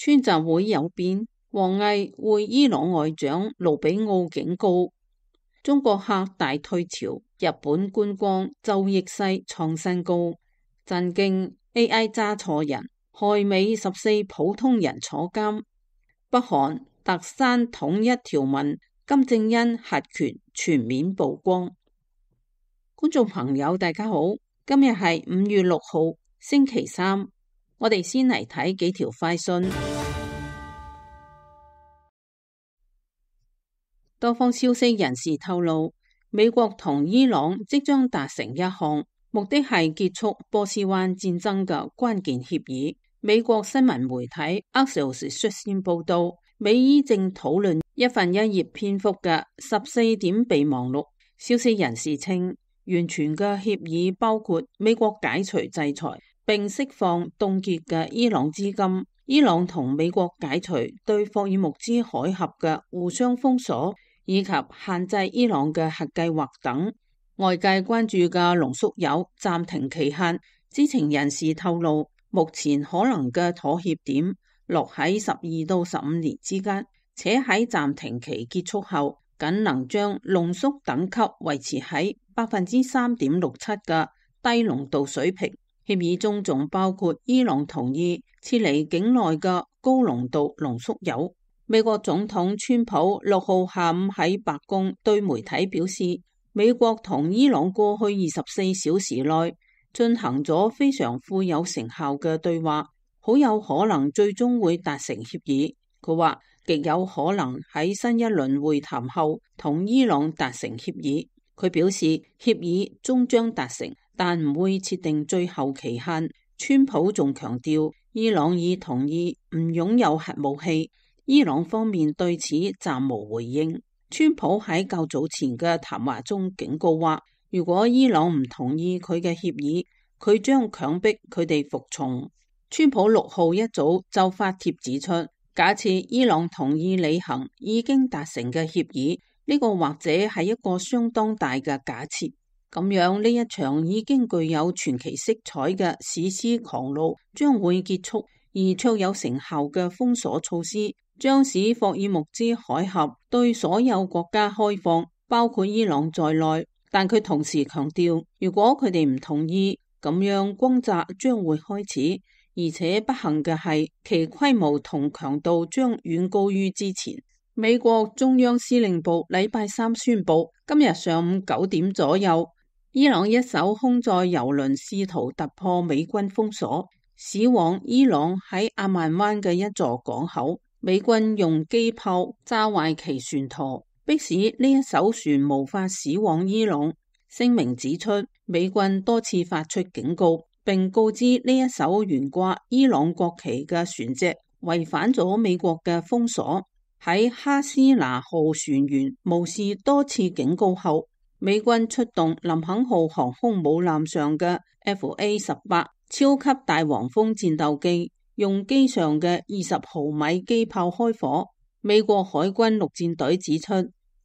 川習會有變，王毅會伊朗外長盧比奧警告中國客大退潮，日本觀光就逆勢創新高，震驚 AI 揸錯人，害美14普通人坐監，北韓特刪統一條文，金正恩核權全面曝光。觀眾朋友大家好，今日係5月6號星期三，我哋先嚟睇幾條快訊。多方消息人士透露，美國同伊朗即將達成一項目的係結束波斯灣戰爭嘅關鍵協議。美國新聞媒體 Axios 率先報道，美伊正討論一份1頁篇幅嘅14點備忘錄。消息人士稱，完全嘅協議包括美國解除制裁並釋放凍結嘅伊朗資金，伊朗同美國解除對霍爾木茲海峽嘅互相封鎖，以及限制伊朗嘅核計劃等。外界關注嘅濃縮鈾暫停期限，知情人士透露，目前可能嘅妥協點落喺12到15年之間，且喺暫停期結束後，僅能將濃縮等級維持喺3.67%嘅低濃度水平。協議中仲包括伊朗同意撤離境內嘅高濃度濃縮鈾。美國總統川普6號下午喺白宮對媒體表示，美國同伊朗過去24小時內進行咗非常富有成效嘅對話，好有可能最終會達成協議。佢話極有可能喺新一輪會談後同伊朗達成協議。佢表示協議終將達成，但唔會設定最後期限。川普仲強調，伊朗已同意唔擁有核武器。伊朗方面對此暫無回應。川普喺較早前嘅談話中警告話，如果伊朗唔同意佢嘅協議，佢將強迫佢哋服從。川普6號一早就發帖指出，假設伊朗同意履行已經達成嘅協議，呢個或者係一個相當大嘅假設。咁樣呢一場已經具有傳奇色彩嘅史詩狂怒將會結束，而卓有成效嘅封鎖措施將使霍爾木茲海峽對所有國家開放，包括伊朗在內。但佢同時強調，如果佢哋唔同意，咁樣轟炸將會開始，而且不幸嘅係，其規模同強度將遠高於之前。美國中央司令部禮拜三宣布，今日上午9點左右，伊朗一艘空載油輪試圖突破美軍封鎖，駛往伊朗喺阿曼灣嘅一座港口。美軍用機炮炸壞其船舵，迫使呢一艘船無法駛往伊朗。聲明指出，美軍多次發出警告，並告知呢一艘懸掛伊朗國旗嘅船隻違反咗美國嘅封鎖。喺哈斯拿號船員無視多次警告後，美軍出動林肯號航空母艦上嘅 FA-18 超級大黃蜂戰鬥機，用機上嘅20毫米機炮開火。美國海軍陸戰隊指出，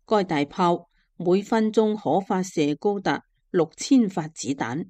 該大炮每分鐘可發射高達6000發子彈。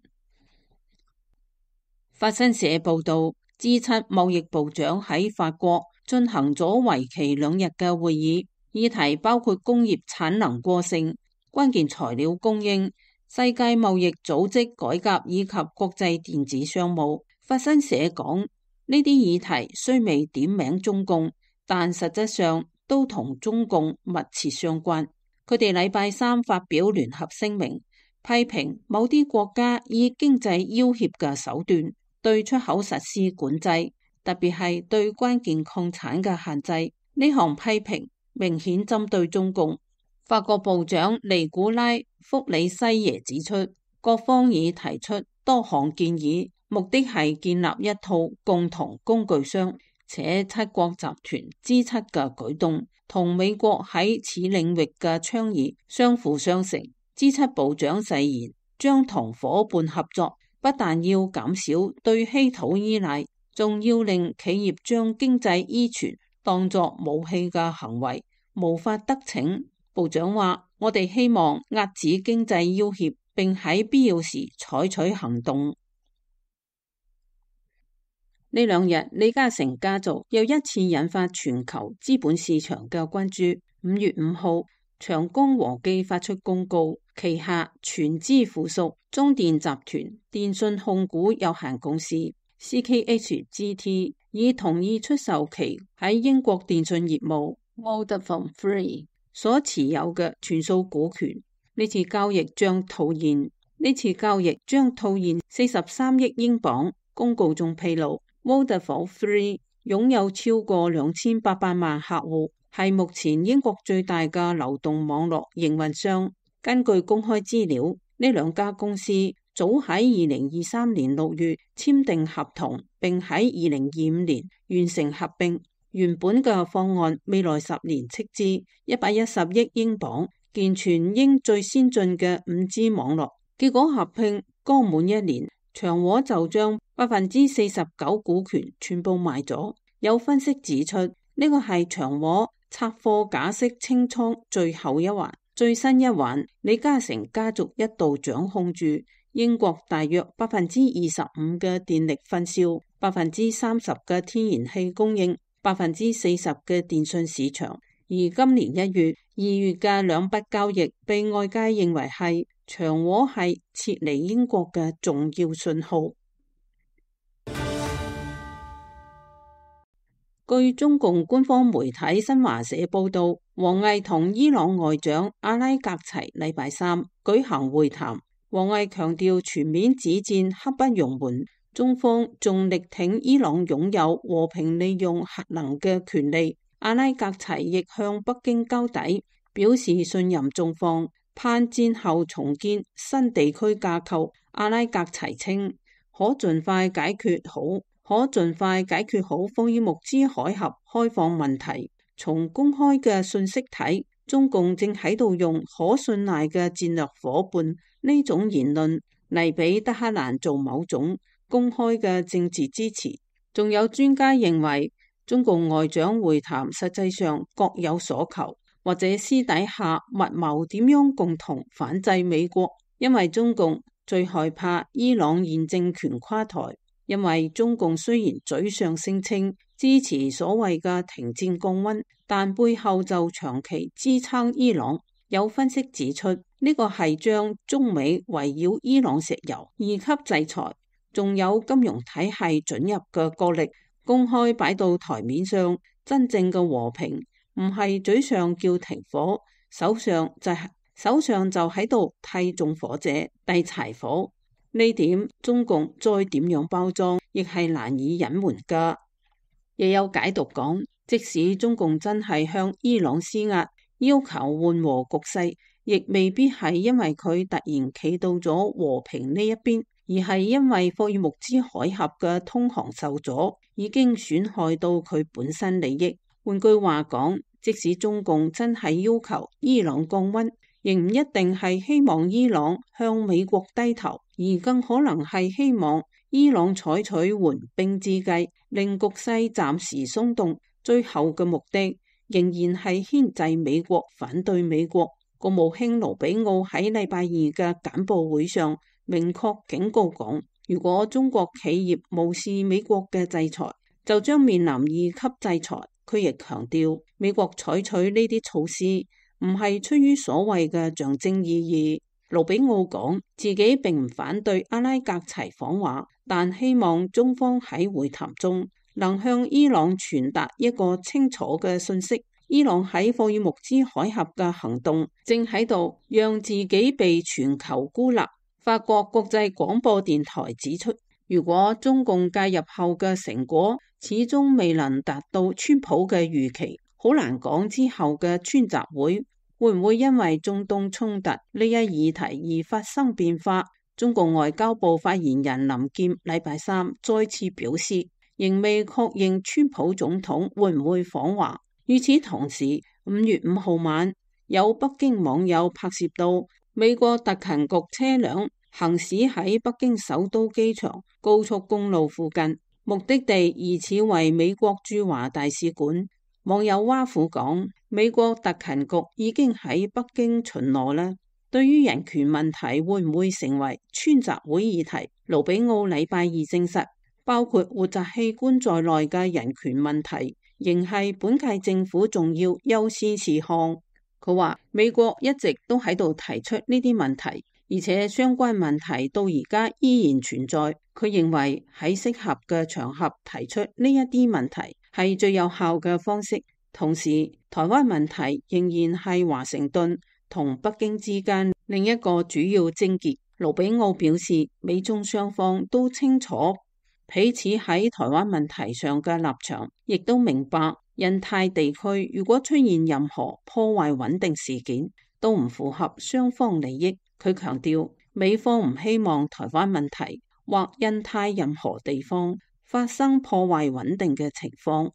法新社報道，G7 貿易部長喺法國進行咗為期2日嘅會議，議題包括工業產能過剩、關鍵材料供應、世界貿易組織改革以及國際電子商務。法新社講，呢啲議題雖未點名中共，但實質上都同中共密切相關。佢哋禮拜三發表聯合聲明，批評某啲國家以經濟要挾嘅手段對出口實施管制，特別係對關鍵礦產嘅限制。呢項批評明顯針對中共。法國部長尼古拉·福里西耶指出，各方已提出多項建議，目的係建立一套共同工具箱，且7國集團 G7 嘅舉動同美國喺此領域嘅倡議相輔相成。G7 部長誓言將同夥伴合作，不但要減少對稀土依賴，仲要令企業將經濟依存當作武器嘅行為無法得逞。部長話：我哋希望遏止經濟要挾，並喺必要時採取行動。呢兩日，李嘉誠家族又一次引發全球資本市場嘅關注。5月5號，長江和記發出公告，旗下全資附屬中電集團電訊控股有限公司 CKHGT 已同意出售其喺英國電訊業務 Vodafone 所持有嘅全數股權。呢次交易將套現43億英鎊。公告中披露，Vodafone 擁有超過2800萬客戶，係目前英國最大嘅流動網絡營運商。根據公開資料，呢兩家公司早喺2023年6月簽訂合同，並喺2025年完成合併。原本嘅方案未來10年斥資110億英鎊，建全英最先進嘅5G 網絡。結果合併剛滿1年，長和就將49%股權全部賣咗。有分析指出，呢個係長和拆貨假釋清倉最後一環。最新一環，李嘉誠家族一度掌控住英國大約25%嘅電力分銷、30%嘅天然氣供應、40%嘅電信市場。而今年1月、2月嘅兩筆交易被外界認為係長和係撤離英國嘅重要信號。據中共官方媒體新華社報道，王毅同伊朗外長阿拉格齊禮拜3舉行會談。王毅強調全面止戰刻不容緩，中方仲力挺伊朗擁有和平利用核能嘅權利。阿拉格齊亦向北京交底，表示信任中方，盼戰後重建新地區架構。阿拉格齊稱可盡快解決好霍爾木茲海峽開放問題。從公開嘅信息睇，中共正喺度用可信賴嘅戰略夥伴呢種言論嚟俾德黑蘭做某種公開嘅政治支持。仲有專家認為，中共外長會談實際上各有所求，或者私底下密謀點樣共同反制美國，因為中共最害怕伊朗現政權垮台。因為中共雖然嘴上聲稱支持所謂嘅停戰降溫，但背後就長期支撐伊朗。有分析指出，呢個係將中美圍繞伊朗石油2級制裁，仲有金融體系准入嘅角力公開擺到台面上。真正嘅和平唔係嘴上叫停火，手上就喺度替縱火者遞柴火。呢點中共再點樣包裝，亦係難以隱瞞噶。亦有解讀講，即使中共真係向伊朗施壓，要求緩和局勢，亦未必係因為佢突然企到咗和平呢一邊，而係因為霍爾木茲海峽嘅通航受阻，已經損害到佢本身利益。換句話講，即使中共真係要求伊朗降溫，亦唔一定係希望伊朗向美國低頭，而更可能係希望伊朗採取緩兵之計，令局勢暫時鬆動。最後嘅目的仍然係牽制美國，反對美國。國務卿盧比奧喺禮拜2嘅簡報會上明確警告講，如果中國企業無視美國嘅制裁，就將面臨2級制裁。佢亦強調，美國採取呢啲措施唔係出於所謂嘅象徵意義。盧比奧講，自己並唔反對阿拉格齊訪華，但希望中方喺會談中能向伊朗傳達一個清楚嘅信息：伊朗喺霍爾木茲海峽嘅行動正喺度讓自己被全球孤立。法國國際廣播電台指出，如果中共介入後嘅成果始終未能達到川普嘅預期，好難講之後嘅川習會唔會因為中東衝突呢一議題而發生變化。中共外交部發言人林劍禮拜3再次表示，仍未確認川普總統會唔會訪華。與此同時，5月5號晚，有北京網友拍攝到美國特勤局車輛行駛喺北京首都機場高速公路附近，目的地疑似為美國駐華大使館。網友挖苦講，美國特勤局已經喺北京巡邏啦。對於人權問題會唔會成為川習會議題，盧比奧禮拜2證實，包括活摘器官在內嘅人權問題，仍係本屆政府重要優先事項。佢話美國一直都喺度提出呢啲問題，而且相關問題到而家依然存在。佢認為喺適合嘅場合提出呢一啲問題係最有效嘅方式。同時，台灣問題仍然係華盛頓同北京之間另一個主要症結。盧比奧表示，美中雙方都清楚彼此喺台灣問題上嘅立場，亦都明白印太地區如果出現任何破壞穩定事件，都唔符合雙方利益。佢強調，美方唔希望台灣問題或印太任何地方發生破壞穩定嘅情況。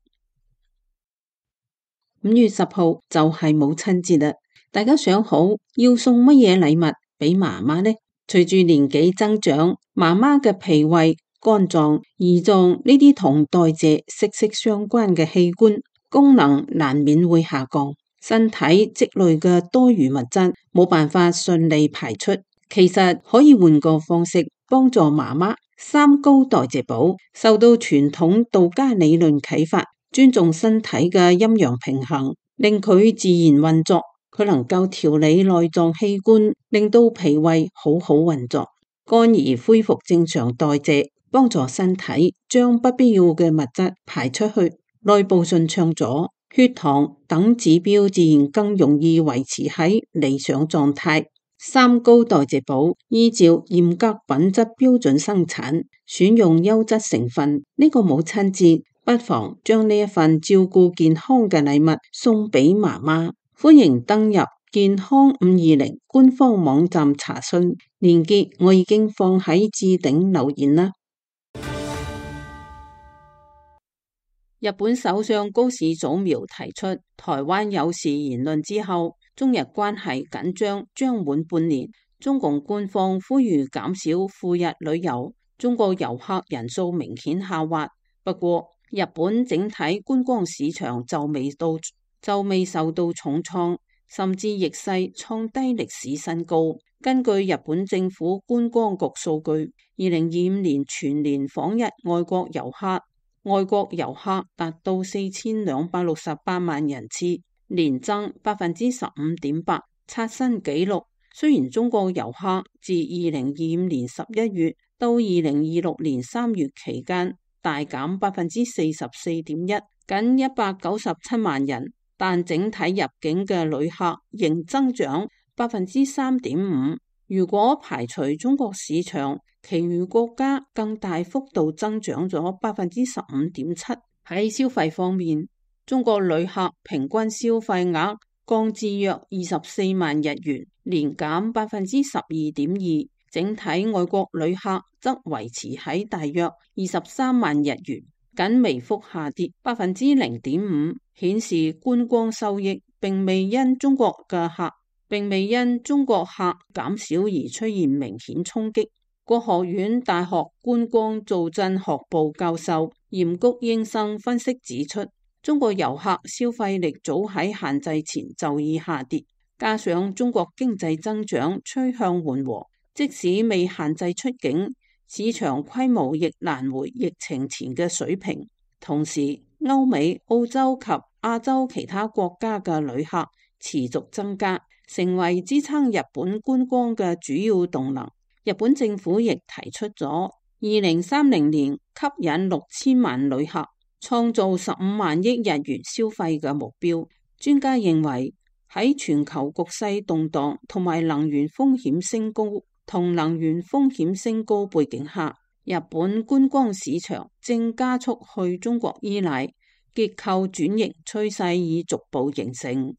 5月10號就係母親節啦，大家想好要送乜嘢禮物俾媽媽呢？隨住年紀增長，媽媽嘅脾胃、肝臟、胰臟呢啲同代謝息息相關嘅器官功能難免會下降，身體積累嘅多餘物質冇辦法順利排出。其實可以換個方式幫助媽媽。三高代謝寶受到傳統道家理論啟發，尊重身體嘅陰陽平衡，令佢自然運作。佢能夠調理內臟器官，令到脾胃好好運作，肝兒恢復正常代謝，幫助身體將不必要嘅物質排出去，內部順暢咗，血糖等指標自然更容易維持喺理想狀態。三高代謝寶依照嚴格品質標準生產，選用優質成分。呢個母親節不妨將呢一份照顧健康嘅禮物送俾媽媽。歡迎登入健康520官方網站查詢，連結我已經放喺置頂留言啦。日本首相高市早苗提出台灣有事言論之後，中日關係緊張將滿半年。中共官方呼籲減少赴日旅遊，中國遊客人數明顯下滑。不過，日本整體觀光市場就未受到重創，甚至逆勢創低歷史新高。根據日本政府觀光局數據，2025年全年訪日外國遊客達到4268萬人次，年增15.8%，刷新紀錄。雖然中國遊客自2025年11月到2026年3月期間大減44.1%，僅197萬人，但整體入境嘅旅客仍增長3.5%。如果排除中國市場，其餘國家更大幅度增長咗15.7%。喺消費方面，中國旅客平均消費額降至約24萬日元，年減12.2%。整體外國旅客則維持喺大約23萬日元，僅微幅下跌0.5%，顯示觀光收益並未因中國客減少而出現明顯衝擊。國學院大學觀光造鎮學部教授嚴谷英生分析指出，中國遊客消費力早喺限制前就已下跌，加上中國經濟增長趨向緩和，即使未限制出境，市場規模亦難回疫情前嘅水平。同時，歐美、澳洲及亞洲其他國家嘅旅客持續增加，成為支撐日本觀光嘅主要動能。日本政府亦提出咗2030年吸引6000萬旅客，創造15萬億日元消費嘅目標。專家認為，喺全球局勢動盪同埋能源風險升高背景下，日本觀光市場正加速去中國依賴，結構轉型趨勢已逐步形成。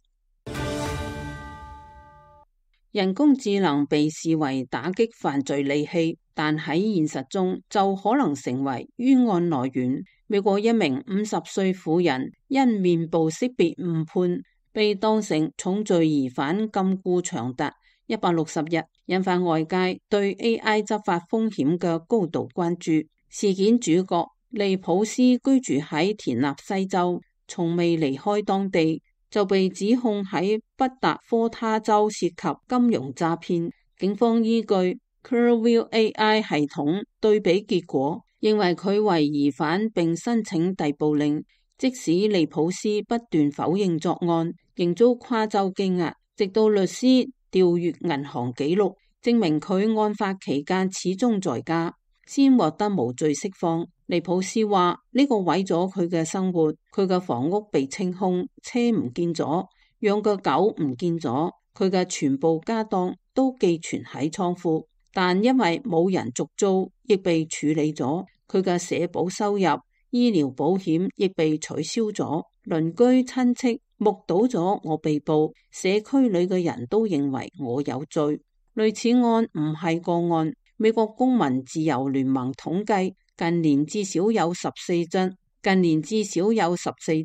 人工智能被視為打擊犯罪利器，但喺現實中就可能成為冤案來源。美國一名50歲婦人因面部識別誤判，被當成重罪疑犯禁錮長達160日，引發外界對 AI 執法風險嘅高度關注。事件主角利普斯居住喺田納西州，從未離開當地，就被指控喺北達科他州涉及金融詐騙。警方依據 Clearview AI 系統對比結果，認為佢為疑犯並申請逮捕令。即使利普斯不斷否認作案，仍遭跨州羈押，直到律師調閱銀行記錄，證明佢案發期間始終在家，先獲得無罪釋放。利普斯話呢個毀咗佢嘅生活，佢嘅房屋被清空，車唔見咗，養嘅狗唔見咗，佢嘅全部家當都寄存喺倉庫，但因為冇人續租，亦被處理咗。佢嘅社保收入、醫療保險亦被取消咗。鄰居親戚目睹咗我被捕，社區裏嘅人都認為我有罪。類似案唔係個案。美國公民自由聯盟統計，近年至少有14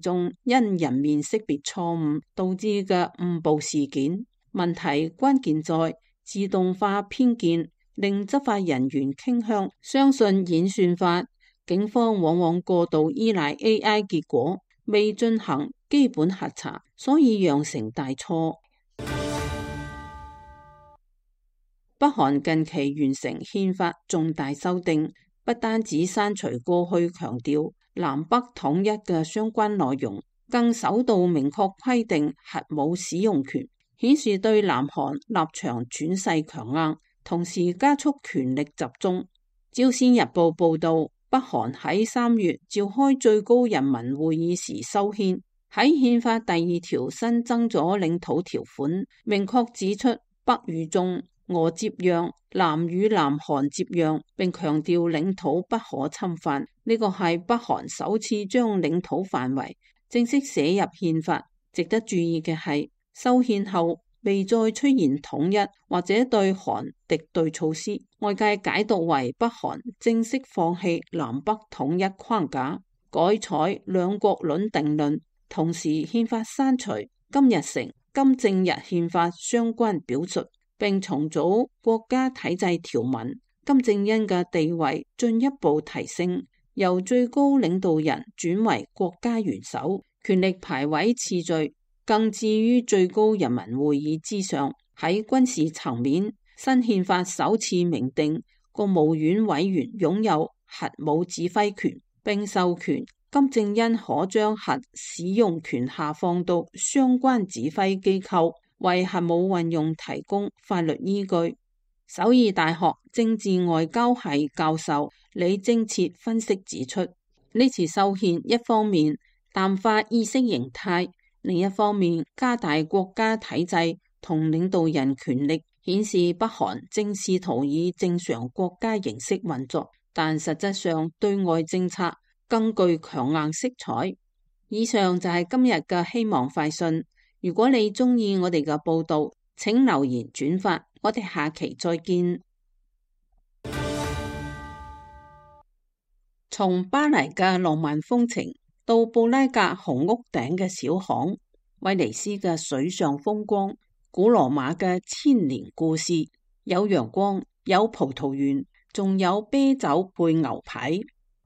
宗因人面識別錯誤導致嘅誤報事件。問題關鍵在自動化偏見，令執法人員傾向相信演算法。警方往往過度依賴 AI 結果，未進行基本核查，所以釀成大錯。北韓近期完成憲法重大修訂，不單止刪除過去強調南北統一嘅相關內容，更首度明確規定核武使用權，顯示對南韓立場轉勢強硬，同時加速權力集中。朝鮮日報報道，北韓喺3月召開最高人民會議時修憲，喺憲法第2條新增咗領土條款，明確指出北與中、俄接壤、南與南韓接壤，並強調領土不可侵犯。呢個係北韓首次將領土範圍正式寫入憲法。值得注意嘅係，修憲後未再出現統一或者對韓敵對措施，外界解讀為北韓正式放棄南北統一框架，改採兩國論定論。同時，憲法刪除金日成、金正日憲法相關表述，並重組國家體制條文。金正恩嘅地位進一步提升，由最高領導人轉為國家元首，權力排位次序更置於最高人民會議之上。喺軍事層面，新憲法首次明定國務院委員擁有核武指揮權，並授權金正恩可將核使用權下放到相關指揮機構，為核武運用提供法律依據。首爾大學政治外交系教授李貞徹分析指出，呢次修憲一方面淡化意識形態，另一方面加大國家體制同領導人權力，顯示北韓正試圖以正常國家形式運作，但實質上對外政策更具強硬色彩。以上就係今日嘅希望快訊。如果你鍾意我哋嘅報道，請留言轉發。我哋下期再見。從巴黎嘅浪漫風情到布拉格紅屋頂嘅小巷，威尼斯嘅水上風光，古羅馬嘅千年故事，有陽光，有葡萄園，仲有啤酒配牛排。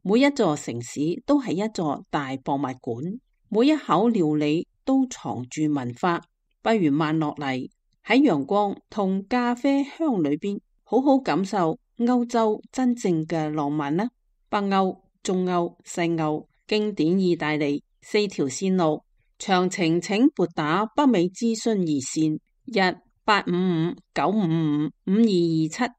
每一座城市都係一座大博物館，每一口料理都藏住文化。不如慢落嚟，喺陽光同咖啡香裏邊，好好感受歐洲真正嘅浪漫啦。北歐、中歐、西歐，經典意大利，4條線路，詳情請撥打北美諮詢熱線1-855-955-5227。